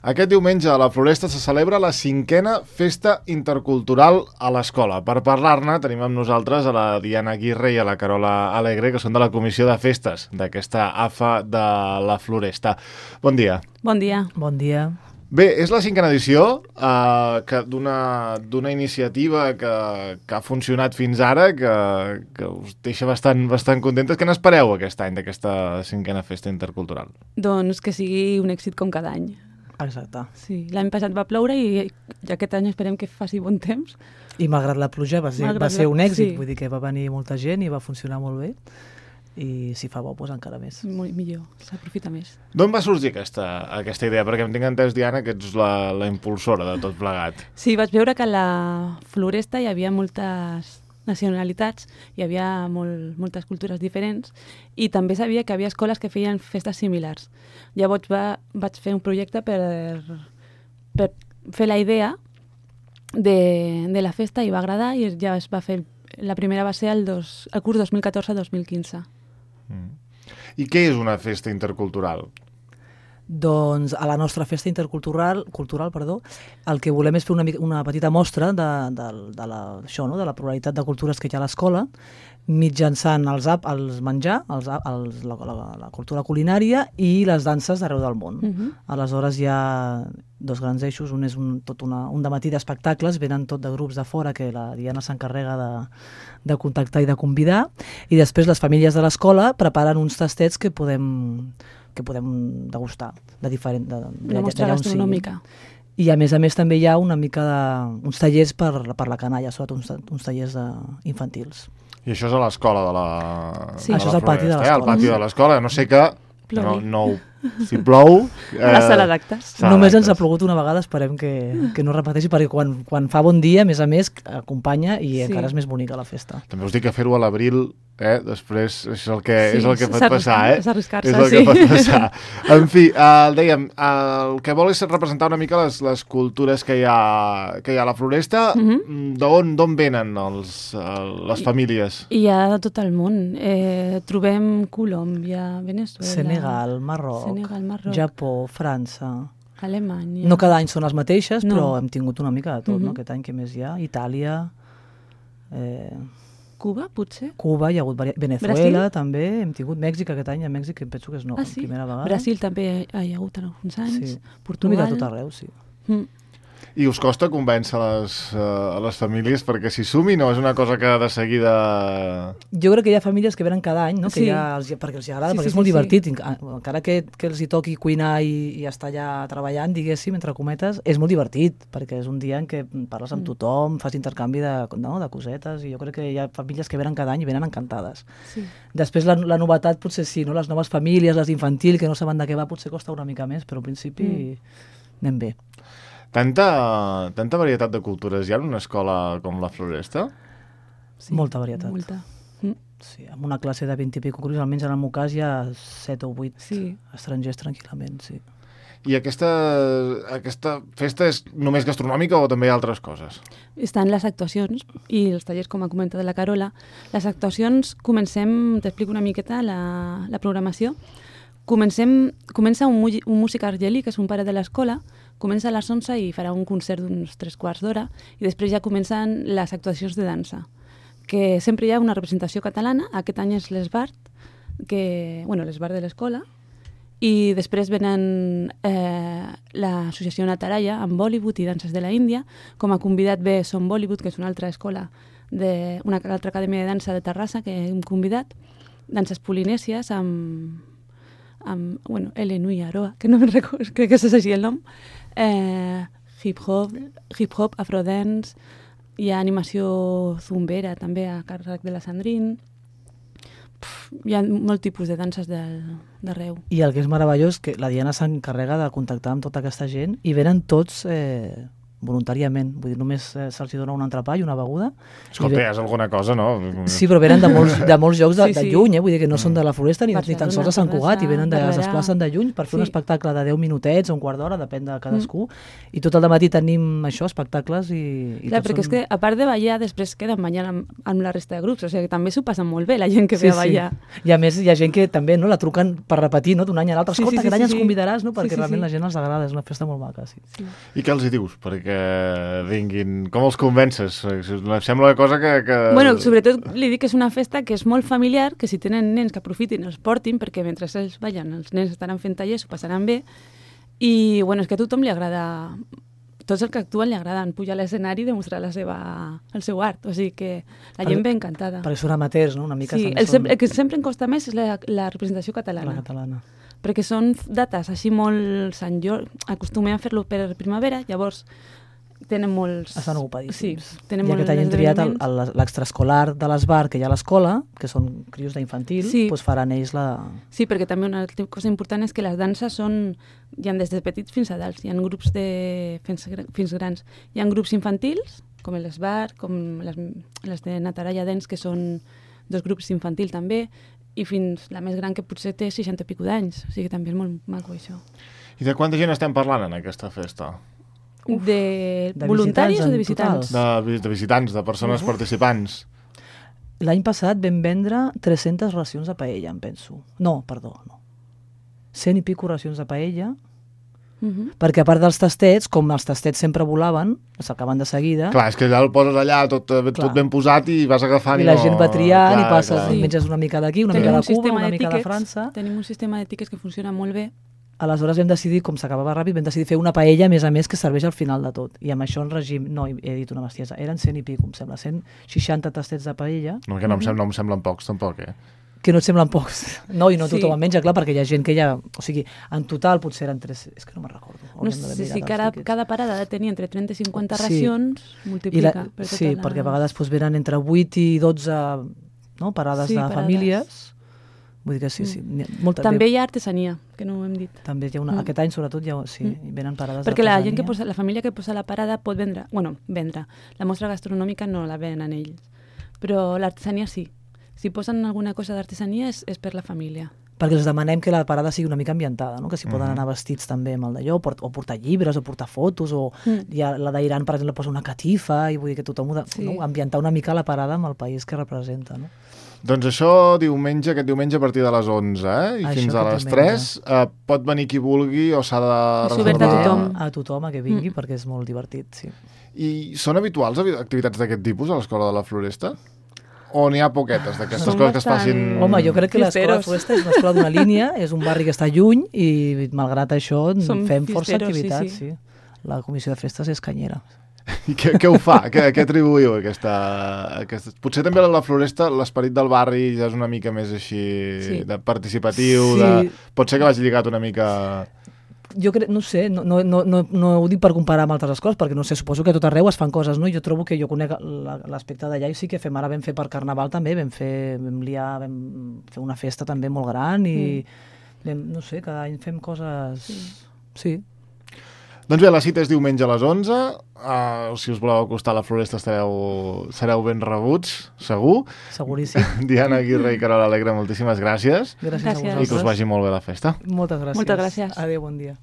Aquest diumenge a la Floresta se celebra la 5a Festa Intercultural a l'escola. Per parlar-ne tenim amb nosaltres a la Diana Aguirre i a la Carola Alegre, que són de la Comissió de Festes d'aquesta AFA de la Floresta. Bon dia. Bon dia. Bon dia. Bé, és la 5a edició d'una iniciativa que ha funcionat fins ara, que us deixa bastant contentes. Què n'espereu aquest any d'aquesta 5a Festa Intercultural? Doncs que sigui un èxit com cada any. Exacte. Sí, l'any passat va ploure i aquest any esperem que faci bon temps. I malgrat la pluja va ser un èxit, sí. Vull dir que va venir molta gent i va funcionar molt bé. I si fa bo, doncs encara més. Molt millor, s'aprofita més. D'on va sorgir aquesta idea? Perquè em tinc entès, Diana, que ets la impulsora de tot plegat. Sí, vaig veure que a la Floresta hi havia moltes nacionalitats, hi havia moltes cultures diferents i també sabia que havia escoles que feien festes similars. Llavors vaig fer un projecte per fer la idea de la festa i va agradar i ja es va fer. La primera va ser el curs 2014-2015. I què és una festa intercultural? Doncs a la nostra festa intercultural, el que volem és fer una petita mostra de la pluralitat de cultures que hi ha a l'escola, mitjançant el menjar, la cultura culinària i les danses d'arreu del món. Aleshores hi ha dos grans eixos, un és un dematí d'espectacles, venen tot de grups de fora que la Diana s'encarrega de contactar i de convidar, i després les famílies de l'escola preparen uns tastets que podem degustar una mostra gastronòmica. I a més també hi ha una mica uns tallers per la canalla, sobretot uns tallers infantils. I això és a l'escola de la Sí, això és al pati de l'escola. Al pati de l'escola, no sé què, si plou... A la sala d'actes. Només ens ha plogut una vegada, esperem que no repeteixi, perquè quan fa bon dia, a més, acompanya i encara és més bonica la festa. També us dic que fer-ho a l'abril, després és el que pot passar, És arriscar-se, és el que pot passar. En fi, dèiem, el que vol és representar una mica les cultures que hi ha a la Floresta. D'on venen les famílies? Hi ha de tot el món. Trobem Colòmbia, Venezuela... Senegal, Marroc, Japó, França... Alemanya... No cada any són les mateixes, però hem tingut una mica de tot, no? Aquest any que més hi ha? Itàlia... Cuba, potser? Cuba, hi ha hagut Venezuela, també. Hem tingut Mèxic aquest any, a Mèxic em penso que és primera vegada. Brasil també hi ha hagut alguns anys. Portugal... Una mica tot arreu, sí. I us costa convèncer les famílies perquè s'hi sumin o és una cosa que de seguida... Jo crec que hi ha famílies que venen cada any, no? Perquè els agrada, perquè és molt divertit. Encara que els hi toqui cuinar i estar allà treballant, diguéssim, entre cometes, és molt divertit, perquè és un dia en què parles amb tothom, fas intercanvi de cosetes, i jo crec que hi ha famílies que venen cada any i venen encantades. Sí. Després la novetat potser sí, no? Les noves famílies, les d'infantil, que no saben de què va, potser costa una mica més, però al principi anem bé. Tanta varietat de cultures hi ha en una escola com la Floresta? Sí, molta varietat. Molta. Sí, amb una classe de 20 i pico grups, almenys en el meu cas hi ha 7 o 8 estrangers tranquil·lament, sí. I aquesta festa és només gastronòmica o també hi ha altres coses? Estan les actuacions i els tallers, com ha comentat la Carola. Les actuacions, t'explico una miqueta la programació. Comença un músic argelí, que és un pare de l'escola, comença a les 11 i farà un concert d'uns 3/4 d'hora i després ja comencen les actuacions de dansa, que sempre hi ha una representació catalana. Aquest any és l'Esbart, l'Esbart de l'escola, i després venen l'associació Nataraya amb Bollywood i danses de la Índia. Com a convidat ve Som Bollywood, que és una altra escola, una altra acadèmia de dansa de Terrassa que hem convidat, danses polinèsies amb Elenui Aroa, que no me'n recordo, crec que és així el nom, hip-hop, afrodance, hi ha animació zumbera també a càrrec de la Sandrine. Hi ha molt tipus de danses d'arreu. I el que és meravellós és que la Diana s'encarrega de contactar amb tota aquesta gent i venen tots voluntàriament. Vull dir, només se'ls dona un entrepà i una beguda. Escolta, és alguna cosa, no? Sí, però venen de molts llocs de lluny, vull dir que no són de la Floresta ni tan sols de Sant Cugat, i venen es desplacen de lluny per fer un espectacle de 10 minutets o un quart d'hora, depèn de cadascú, i tot el dematí tenim això, espectacles i clar, perquè és que a part de ballar, després queden ballant amb la resta de grups, o sigui que també s'ho passen molt bé la gent que ve a ballar. I a més hi ha gent que també la truquen per repetir d'un any a l'altre, escolta, aquest any ens convidaràs, perquè realment la gent els agrada, és una festa molt maca. I què els hi dius? Perquè vinguin, com els convences? Em sembla una cosa que... Bueno, sobretot li dic que és una festa que és molt familiar, que si tenen nens que aprofitin, els portin, perquè mentre ells ballen, els nens estaran fent tallers, ho passaran bé, i bueno, és que a tothom li agrada, tots els que actuen li agraden pujar a l'escenari i demostrar el seu art, o sigui que la gent ve encantada. Perquè són amateurs, no? Una mica sí, el que sempre em costa més és la representació catalana. La catalana. Perquè són dates així molt Sant Jordi, acostumem a fer-lo per primavera, llavors tenen molts... Estan ocupadíssims. Sí, tenen molts esdeveniments. I aquest any hem triat l'extraescolar de l'Esbar, que hi ha a l'escola, que són crios d'infantil, doncs faran ells la... Sí, perquè també una cosa important és que les danses són... Hi ha des de petits fins a adults, hi ha grups fins grans. Hi ha grups infantils, com l'Esbar, com les de Nataraya Dance, que són 2 grups infantils també, i fins la més gran que potser té 60 i pico d'anys, o sigui que també és molt maco això. I de quanta gent estem parlant en aquesta festa? De voluntaris o de visitants? De visitants, de persones participants. L'any passat vam vendre 300 racions de paella, em penso. No. 100 i pico racions de paella, perquè a part dels tastets, com els tastets sempre volaven, s'acaben de seguida... Clar, és que ja el poses allà tot ben posat i vas agafant... I la gent va triant i passes, menges una mica d'aquí, una mica de Cuba, una mica de França... Tenim un sistema de tiquets que funciona molt bé. Aleshores vam decidir, com s'acabava ràpid, vam decidir fer una paella, a més, que serveix al final de tot. I amb això en règim... No, he dit una bestiesa. Eren 100 i pico, em sembla. 160 tastets de paella. No, que no em semblen pocs, tampoc, Que no et semblen pocs. No, i no tothom en menja, clar, perquè hi ha gent que ja... O sigui, en total potser eren 3... És que no me'n recordo. No sé si cada parada ha de tenir entre 30 i 50 racions, multiplica. Sí, perquè a vegades venen entre 8 i 12 parades de famílies. Vull dir que sí, molta. També hi ha artesania, que no ho hem dit. També hi ha aquest any, sobretot, venen parades perquè la gent la família que posa la parada pot vendre. La mostra gastronòmica no la venen ells, però l'artesania sí. Si posen alguna cosa d'artesania és per la família. Perquè els demanem que la parada sigui una mica ambientada, no? Que s'hi poden anar vestits també amb el d'allò, o portar llibres, o portar fotos, o la d'Iran, per exemple, posa una catifa, i vull dir que tothom ambientar una mica la parada amb el país que representa, no? Doncs això aquest diumenge a partir de les 11, i fins a les 3, pot venir qui vulgui o s'ha de reservar? A tothom que vingui, perquè és molt divertit, sí. I són habituals activitats d'aquest tipus a l'Escola de la Floresta? O n'hi ha poquetes d'aquestes coses que es facin... Home, jo crec que l'Escola de la Floresta és una escola d'una línia, és un barri que està lluny i, malgrat això, fem força activitats. Sí. La comissió de festes és canyera. I què ho fa? Què atribuïu aquesta... Potser també a la Floresta l'esperit del barri ja és una mica més així de participatiu, pot ser que vagi lligat una mica... Jo crec, no sé, no ho dic per comparar amb altres escoles, perquè no sé, suposo que a tot arreu es fan coses, no? Jo trobo que jo conec l'aspecte d'allà i sí que vam fer per Carnaval també, vam fer una festa també molt gran i no sé, cada any fem coses... Sí. Doncs bé, la cita és diumenge a les 11, si us voleu acostar a la Floresta sereu ben rebuts, segur. Seguríssim. Diana Aguirre i Carola Alegre, moltíssimes gràcies. Gràcies a vosaltres. I que us vagi molt bé la festa. Moltes gràcies. Moltes gràcies. Adéu, bon dia.